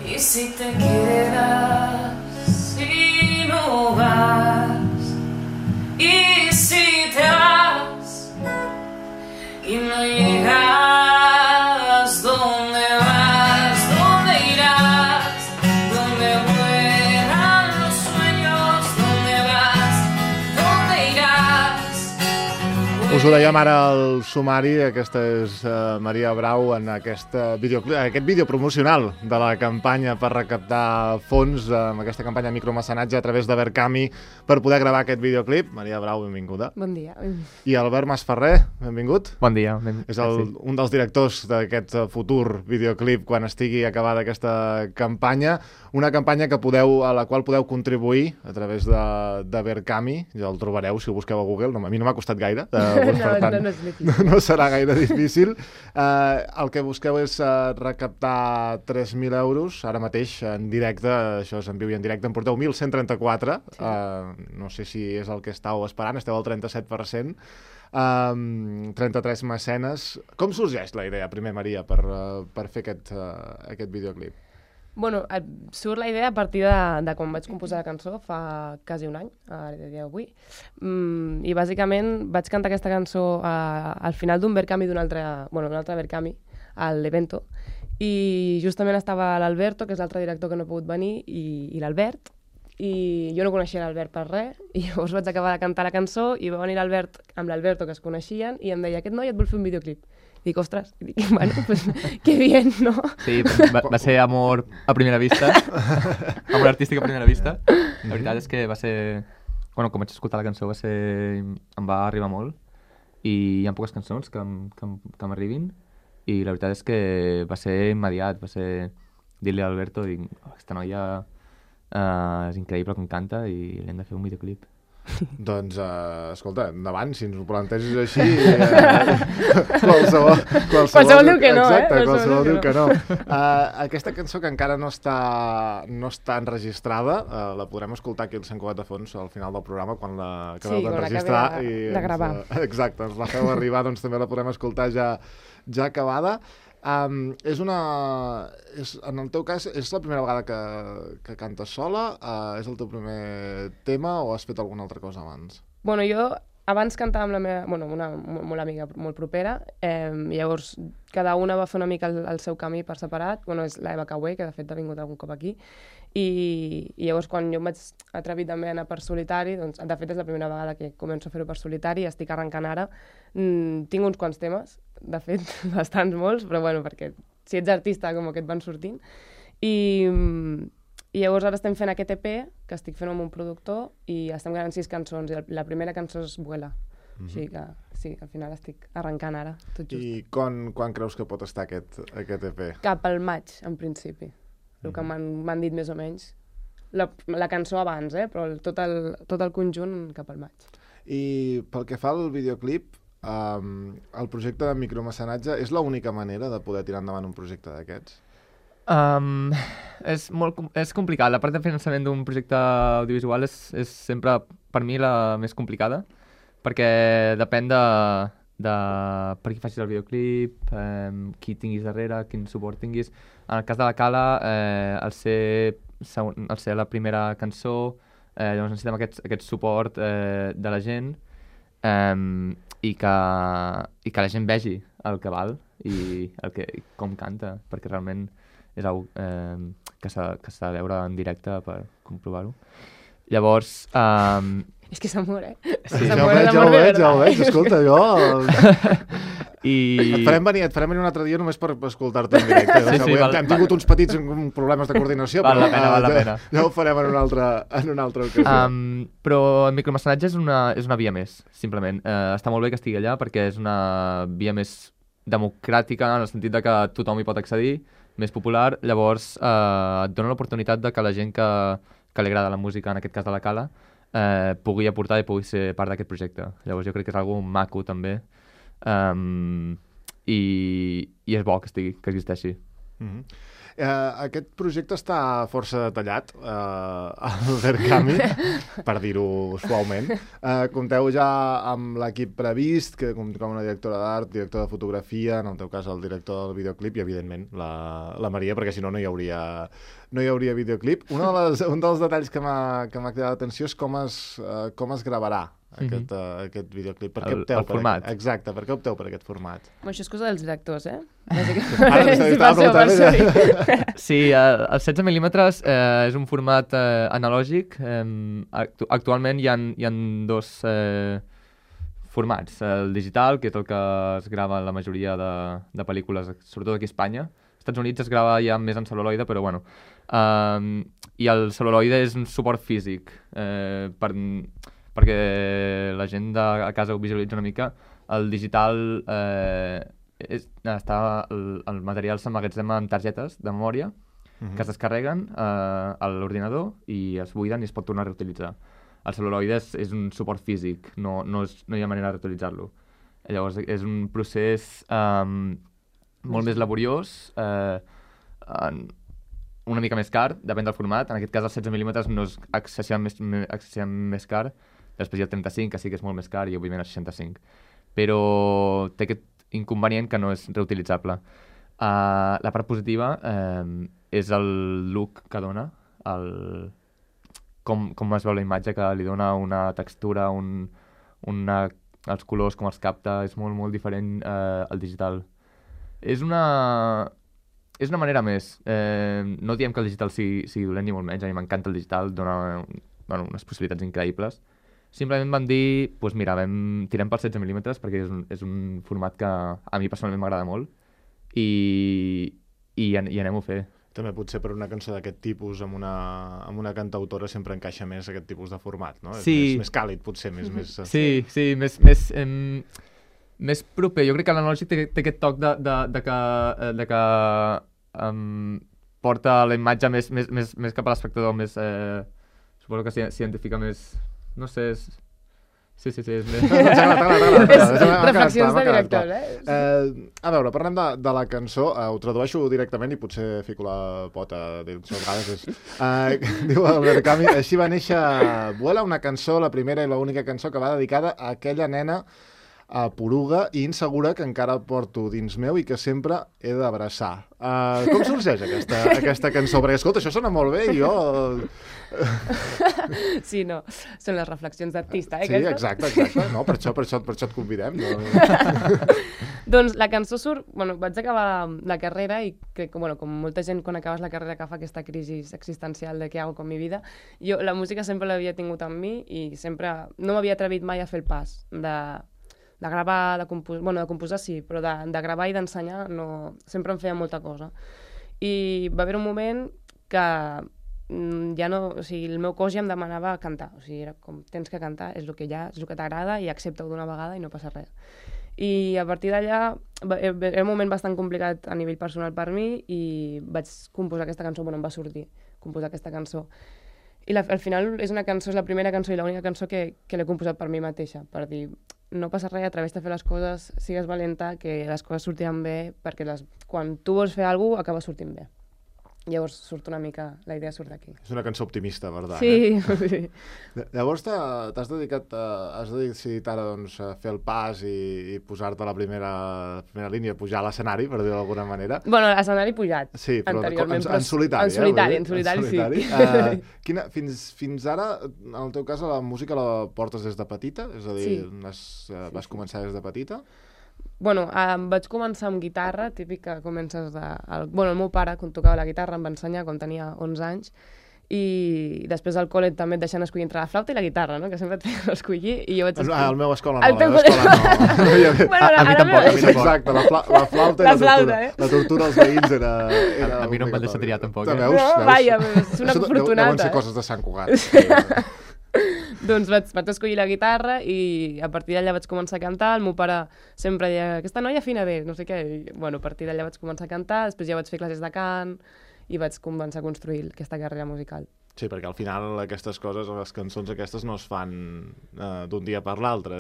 Y si te quedas y no vas, y si te vas y no llegas, ¿dónde vas? ¿Dónde irás? ¿Dónde vuelan los sueños? ¿Dónde vas? ¿Dónde irás? Us ho dèiem ara al sumari, aquesta és Maria Brau en aquest vídeo promocional de la campanya per recaptar fons, amb aquesta campanya de micromecenatge a través de Verkami per poder gravar aquest videoclip. Maria Brau, benvinguda. Bon dia. I Albert Masferrer, benvingut. Bon dia. És un dels directors d'aquest futur videoclip quan estigui acabada aquesta campanya, una campanya a la qual podeu contribuir a través de Verkami, ja el trobareu si ho busqueu a Google, a mi no m'ha costat gaire, per tant, no serà gaire difícil. El que busqueu és recaptar 3.000 euros, ara mateix en directe, això és en viu i en directe, en porteu 1.134, no sé si és el que estàu esperant, esteu al 37%, 33 mecenes. Com sorgeix la idea, primer, Maria, per fer aquest videoclip? Bueno, surt la idea a partir de quan vaig composar la cançó fa quasi un any, a dia d'avui. I bàsicament vaig cantar aquesta cançó al final d'un Verkami d'un altre Verkami, a l'Evento, i justament estava l'Alberto, que és l'altre director que no ha pogut venir, i l'Albert, i jo no coneixia l'Albert per res, i llavors vaig acabar de cantar la cançó i va venir l'Albert amb l'Alberto, que es coneixien, i em deia, aquest noi et vol fer un videoclip. Dic, ostres, bueno, pues qué bien, ¿no? Sí, va ser amor a primera vista, amor artístic a primera vista. La veritat és que va ser... Bueno, com vaig escoltar la cançó em va arribar molt i hi ha poques cançons que m'arribin i la veritat és que va ser immediat, va ser dir-li a Alberto, dic, aquesta noia és increïble com canta i li hem de fer un videoclip. Doncs, escolta, endavant, si ens ho planteges així, qualsevol diu que no, exacte, qualsevol diu que no. Aquesta cançó que encara no està enregistrada, la podrem escoltar aquí al Sant Cugat de Fons al final del programa, quan l'acabeu d'enregistrar. De gravar. Exacte, ens la feu arribar, doncs també la podrem escoltar ja acabada. En el teu cas, és la primera vegada que cantes sola? És el teu primer tema o has fet alguna altra cosa abans? Bueno, jo abans cantava amb la meva, una molt amiga, molt propera, i llavors cada una va fer una mica el seu camí per separat. És l'Eva Caué, que de fet ha vingut algun cop aquí, i llavors quan jo em vaig atrevir també a anar per solitari, doncs de fet és la primera vegada que començo a fer-ho per solitari, estic arrencant ara. Tinc uns quants temes, de fet, bastants molts, però bueno, perquè si ets artista com que et van sortint. I llavors ara estem fent aquest EP, que estic fent amb un productor, i estem gravant 6 cançons, i la primera cançó és Vuela. O sigui que sí, al final estic arrencant ara, tot just. I quan creus que pot estar aquest EP? Cap al maig, en principi. El que m'han dit més o menys. La cançó abans, però tot el conjunt cap al maig. I pel que fa al videoclip, el projecte de micromecenatge és l'única manera de poder tirar endavant un projecte d'aquests? És complicat. La part de finançament d'un projecte audiovisual és sempre, per mi, la més complicada, perquè depèn de per qui facis el videoclip, qui tinguis darrere, quin suport tinguis. En el cas de la Cala, al ser la primera cançó, llavors necessitem aquest suport de la gent i que la gent vegi el que val i com canta, perquè realment és una que s'ha de veure en directe per comprovar-ho. Llavors... És que s'amor, Sí, ja ho veig, escolta, jo... Et farem venir un altre dia només per escoltar-te en directe. Hem tingut uns petits problemes de coordinació, val la pena. Ja ho farem en una altra ocasió. Però el micromecenatge és una via més, simplement. Està molt bé que estigui allà perquè és una via més democràtica, en el sentit de que tothom hi pot accedir, més popular. Llavors et dona l'oportunitat de que la gent que li agrada la música, en aquest cas de la Cala, pugui aportar i pugui ser part d'aquest projecte. Llavors jo crec que és algo maco també, i és bo que existeixi. Aquest projecte està força detallat al Verkami, per dir-ho suaument. Compteu ja amb l'equip previst, que com una directora d'art, director de fotografia, en el teu cas el director del videoclip i, evidentment, la Maria, perquè si no, no hi hauria videoclip. Un dels detalls que m'ha cridat l'atenció és com es gravarà aquest videoclip. Per què opteu el format. Exacte, per què opteu per aquest format? Això és cosa dels directors, Sí, el 16 mil·límetres és un format analògic. Actualment hi ha dos formats. El digital, que és el que es grava en la majoria de pel·lícules, sobretot aquí a Espanya. Als Estats Units es grava ja més en cel·luloide, però bueno. I el cel·luloide és un suport físic, perquè la gent a casa ho visualitza una mica. El digital, el material s'emmagatzema en targetes de memòria que es descarreguen a l'ordinador i es buiden i es pot tornar a reutilitzar. El cel·luloide és un suport físic, no hi ha manera de reutilitzar-lo. Llavors és un procés molt més laboriós, una mica més car, depèn del format. En aquest cas, el 16 mil·límetres no és excessivament més car. Després hi ha el 35, que sí que és molt més car, i òbviament el 65. Però té aquest inconvenient que no és reutilitzable. La part positiva és el look que dona, com es veu la imatge, que li dona una textura, els colors, com els capta, és molt, molt diferent al digital. És una manera més. No diem que el digital sigui dolent ni molt menys, a mi m'encanta el digital, dona unes possibilitats increïbles. Simplement vam dir, doncs mira, tirem pel 16 mil·límetres perquè és un format que a mi personalment m'agrada molt i anem-ho a fer. També potser per una cançó d'aquest tipus amb una cantautora sempre encaixa més aquest tipus de format, no? Sí. És més càlid, potser, més... Sí, més proper. Jo crec que l'analògic té aquest toc de que porta la imatge més cap a l'espectador, més... suposo que s'identifica més... No sé, Sí, és més... Reflexions de director, A veure, parlem de la cançó. Ho tradueixo directament i potser fico la pota dins les vegades. Diu el Verkami, així va néixer Vuela, una cançó, la primera i l'única cançó que va dedicada a aquella nena poruga i insegura que encara porto dins meu i que sempre he d'abraçar. Com sorgeix aquesta cançó? Perquè, escolta, això sona molt bé i jo... Sí, no, són les reflexions d'artista, Sí, exacte. No, per això et convidem. Doncs la cançó surt... Bueno, vaig acabar la carrera i crec que, com molta gent quan acabes la carrera que fa aquesta crisi existencial de què hago con mi vida, jo la música sempre l'havia tingut amb mi i sempre no m'havia atrevit mai a fer el pas de gravar, de composar sí, però de gravar i d'ensenyar no, sempre em feia molta cosa. I va haver un moment que ja no, o sigui, el meu cos ja em demanava cantar, o sigui, era com, tens que cantar, és el que hi ha, és el que t'agrada i accepta-ho d'una vegada i no passa res. I a partir d'allà era un moment bastant complicat a nivell personal per mi i vaig composar aquesta cançó, em va sortir composar aquesta cançó. I al final és una cançó, és la primera cançó i l'única cançó que l'he composat per mi mateixa, per dir, no passa res, atreveix-te a fer les coses, sigues valenta, que les coses sortiran bé, perquè quan tu vols fer alguna cosa, acaba sortint bé. Llavors surt una mica, la idea surt d'aquí. És una cançó optimista, verdad? Sí. Llavors has decidit ara a fer el pas i posar-te a la primera línia, pujar a l'escenari, per dir-ho d'alguna manera. Bueno, l'escenari pujat, sí, però anteriorment. En solitari. En solitari, sí. Fins ara, en el teu cas, la música la portes des de petita? És a dir, vas començar des de petita? Bueno, vaig començar amb guitarra, típic que comences el meu pare, quan tocava la guitarra, em va ensenyar quan tenia 11 anys, i després al col·le també et deixen escollir entre la flauta i la guitarra, no? Que sempre et feien escollir, i jo vaig escollir... Al meu escola no, a la meva escola no. A mi tampoc. Exacte, la flauta i la tortura als veïns era... A mi no em van deixar triar tampoc. Veus? Vaja, és una afortunada. Deuen ser coses de Sant Cugat. Doncs vaig escollir la guitarra i a partir d'allà vaig començar a cantar. El meu pare sempre deia, aquesta noia afina bé, no sé què. I, a partir d'allà vaig començar a cantar, després ja vaig fer classes de cant i vaig començar a construir aquesta carrera musical. Sí, perquè al final aquestes coses, les cançons aquestes no es fan d'un dia per l'altre.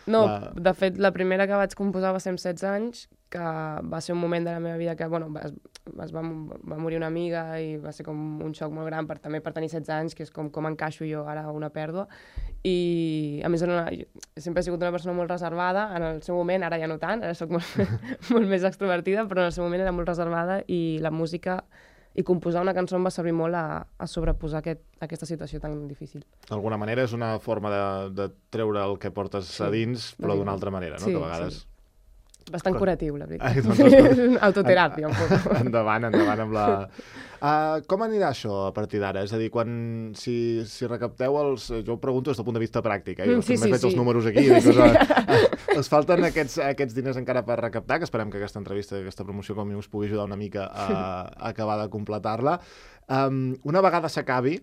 No, de fet, la primera que vaig composar va ser amb 16 anys, que va ser un moment de la meva vida que, va morir una amiga i va ser com un xoc molt gran també per tenir 16 anys, que és com encaixo jo ara una pèrdua. I a més sempre he sigut una persona molt reservada, en el seu moment, ara ja no tant, ara soc molt més extrovertida, però en el seu moment era molt reservada i la música i composar una cançó em va servir molt a sobreposar aquesta situació tan difícil. D'alguna manera és una forma de treure el que portes a dins, però d'una altra manera, no? Sí, que a vegades... sí. Bastant curatiu, la veritat. Doncs, autoteràpia, un poc. Endavant amb la... com anirà això a partir d'ara? És a dir, si recapteu els... Jo ho pregunto des del punt de vista pràctic, Jo sí, veig els números aquí. Us falten aquests diners encara per recaptar, que esperem que aquesta entrevista, aquesta promoció com a mínim us pugui ajudar una mica a acabar de completar-la. Una vegada s'acabi,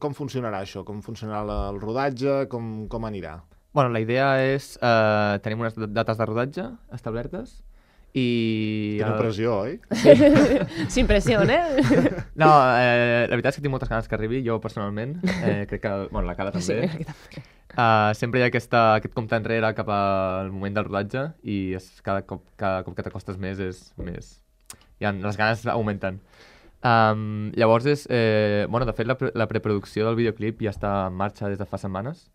com funcionarà això? Com funcionarà el rodatge? Com anirà? Bueno, la idea és... tenim unes dates de rodatge establertes i... Teniu pressió, oi? Sin presión, No, la veritat és que tinc moltes ganes que arribi, jo personalment. Crec que... Bueno, la Cala també. Sí, aquí també. Sempre hi ha aquest compte enrere cap al moment del rodatge i cada cop que t'acostes més és més... les ganes augmenten. Llavors bueno, de fet, la preproducció del videoclip ja està en marxa des de fa setmanes.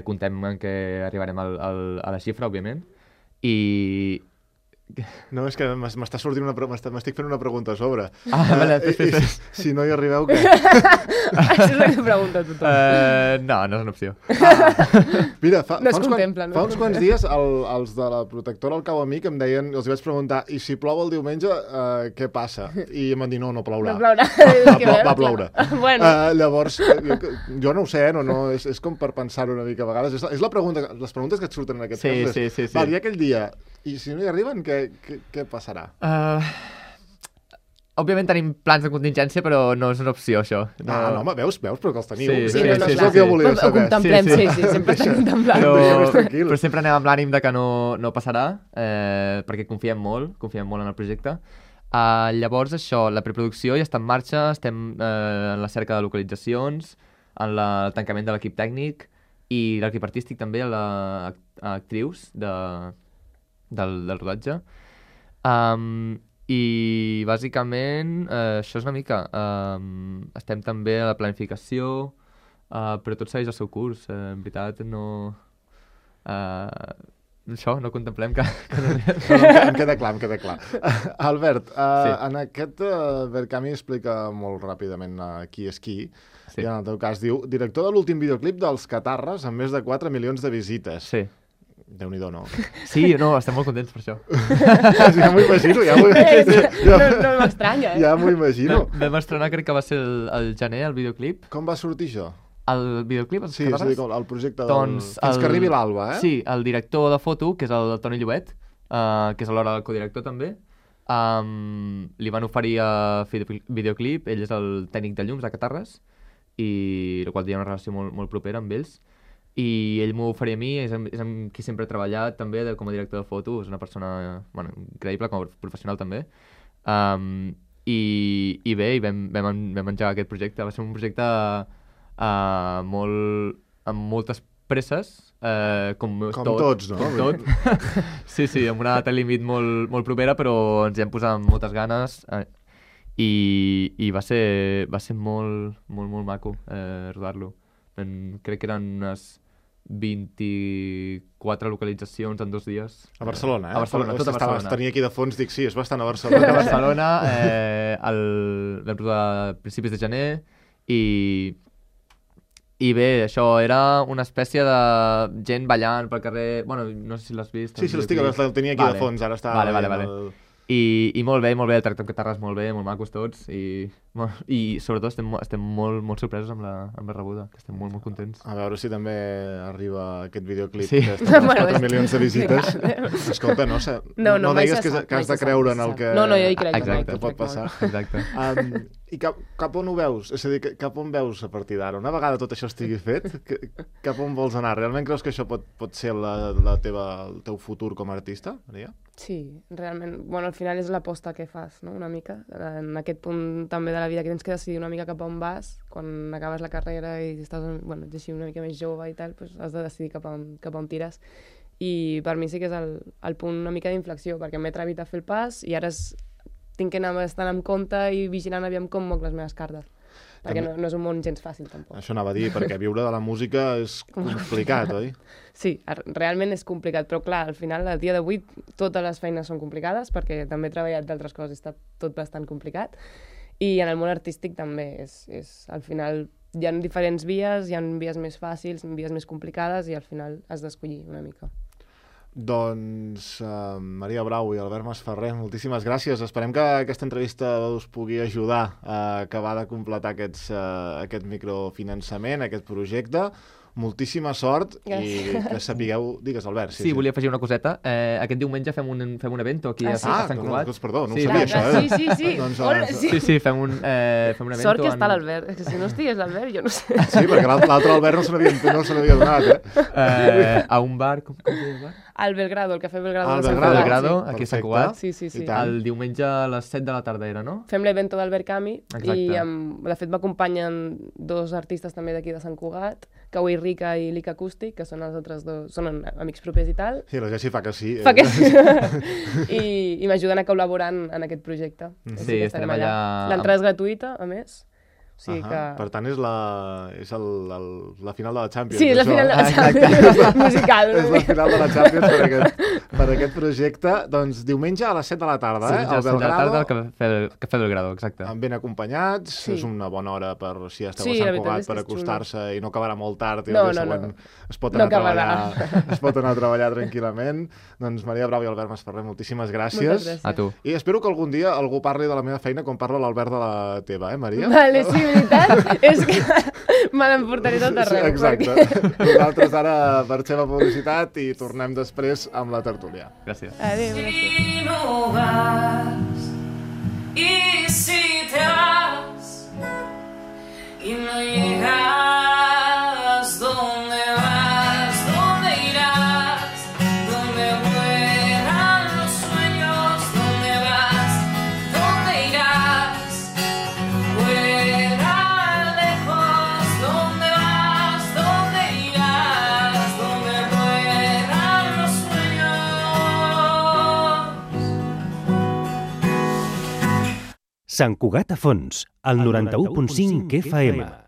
Contem en què arribarem a la xifra, òbviament, i... No, és que m'està sortint m'estic fent una pregunta a sobre. Vale, si no hi arribeu, què? Això és el que pregunta tothom. No és una opció. Mira, No es contempla, no? Fa uns quants dies els de la protectora al Cau Amic em deien, els vaig preguntar, i si plou el diumenge, què passa? I em van dir, no plourà. No plourà. Va ploure. Bueno. Llavors, jo no ho sé, és com per pensar-ho una mica a vegades. És la pregunta, les preguntes que et surten en aquest cas. Sí. Val, i aquell dia, i si no hi arriben, què passarà? Òbviament tenim plans de contingència, però no és una opció, això. No, home, veus, però que els teniu. Sí, és el que volia Ho saber. contemplem, sí, sempre estem contemplant. Però sempre anem amb l'ànim de que no passarà, perquè confiem molt en el projecte. Llavors, això, la preproducció ja està en marxa, estem en la cerca de localitzacions, en el tancament de l'equip tècnic i l'equip artístic també, actrius del rodatge. I bàsicament això és una mica. Estem també a la planificació, però tot segueix el seu curs. En veritat, no... Això, no contemplem que no... Em queda clar. Albert, en aquest Verkami explica molt ràpidament qui és qui. Sí. I en el teu cas diu, director de l'últim videoclip dels Catarres amb més de 4 milions de visites. Sí. Déu-n'hi-do, no? Sí, no, estem molt contents per això. Ja m'ho imagino, No m'estranya, Ja m'ho imagino. Vam estrenar, crec que va ser el gener, el videoclip. Com va sortir això? El videoclip, els Sí, és a dir, Catarres? el projecte Doncs fins que arribi l'Alba, eh? Sí, el director de foto, que és el Toni Llobet, que és alhora el codirector també, li van oferir a fer videoclip, ell és el tècnic de llums de Catarres, i el qual tenia una relació molt propera amb ells, i ell m'ho oferia a mi, és amb qui sempre he treballat també com a director de foto, és una persona increïble, com a professional també. I bé, vam engegar aquest projecte. Va ser un projecte amb moltes presses, com tots, no? Com tot. Sí, amb una data límit molt propera, però ens hi hem posat amb moltes ganes i va ser molt maco rodar-lo. Crec que eren unes 24 localitzacions en 2 dies. A Barcelona, eh? A Barcelona, tot a Barcelona. Tenia aquí de fons, dic, sí, és bastant a Barcelona. Tot a Barcelona, vam rodar a principis de gener i bé, això era una espècie de gent ballant pel carrer... Bueno, no sé si l'has vist. Sí, el tenia aquí de fons, ara està... Vale. I molt bé, el tracte amb Catarres molt bé, molt macos tots i sobretot estem molt sorpresos amb la rebuda, que estem molt contents. A veure si també arriba aquest videoclip sí. que està amb 4 milions de visites. Escolta, no digues que has de creure en el que... No, jo hi crec. Exacte, pot passar. Exacte. I cap on ho veus? És a dir, cap on veus a partir d'ara? Una vegada tot això estigui fet, cap on vols anar? Realment creus que això pot ser el teu futur com a artista, Maria? Sí, realment. Bueno, al final és l'aposta que fas, no?, una mica. En aquest punt també de la vida que tens que decidir una mica cap on vas, quan acabes la carrera i estàs així una mica més jove i tal, doncs has de decidir cap on tires. i per mi sí que és el punt una mica d'inflexió, perquè m'he atrevit a fer el pas i ara tinc que anar bastant amb compte i vigilant aviam com moc les meves cartes. Perquè no és un món gens fàcil, tampoc. Això anava a dir, perquè viure de la música és complicat, oi? Sí, realment és complicat, però clar, al final, al dia d'avui, totes les feines són complicades, perquè també he treballat d'altres coses, està tot bastant complicat, i en el món artístic també al final hi ha diferents vies, hi ha vies més fàcils, vies més complicades, i al final has d'escollir una mica. Doncs Maria Brau i Albert Masferrer, moltíssimes gràcies. Esperem que aquesta entrevista us pugui ajudar a acabar de completar aquest microfinançament, aquest projecte. Moltíssima sort i que sapigueu... Digues, Albert. Sí, volia afegir una coseta. Aquest diumenge fem un evento aquí a Sant Cugat. Perdó, no ho sabia, això. Sí. Sí, fem un evento... Sort que està l'Albert, és que si no estigués l'Albert, jo no sé. Sí, perquè l'altre Albert no se n'havia donat, a un bar, com es diu el bar? Al Belgrado, el Cafè Belgrado. Al Belgrado, aquí a Sant Cugat. Sí. El diumenge a les 7 de la tarda era, no? Fem l'evento d'Albert Cami i de fet m'acompanyen 2 artistes també d'aquí de Sant Cugat, Kaui Rica i Lica Acústic, que són els altres 2, són amics propers i tal. Sí, la Jessi fa que sí. Fa que sí. I m'ajuden a col·laborar en aquest projecte. Sí, estarem allà. L'entrada és gratuïta, a més. O sigui que... Per tant, és la final de la Champions. Sí, és la final de la Champions musical. És la final de la Champions per aquest projecte. Doncs diumenge a les 7 de la tarda, al Belgrado. Sí, a les 7 de la tarda al Cafè Belgrado, exacte. Ben acompanyats, és una bona hora per, si esteu a Sant Cugat, per acostar-se i no acabarà molt tard i el dia següent es pot anar a treballar tranquil·lament. Doncs Maria Brau i Albert Masferrer, moltíssimes gràcies. A tu. I espero que algun dia algú parli de la meva feina com parla l'Albert de la teva, Maria? Vale, sí, veritat és que me l'emportaré tot arreu. Exacte. Nosaltres ara marxem a publicitat i tornem després amb la tertúlia. Gràcies. Adéu, gràcies. Si no vas y si te vas y no llegas, ¿dónde vas? ¿Dónde irás? ¿Dónde vuelan los sueños? ¿Dónde vas? ¿Dónde irás? Vuela lejos, ¿dónde vas? ¿Dónde irás? ¿Dónde vuelan los sueños? Sant Cugat a Fons, al 91.5 FM.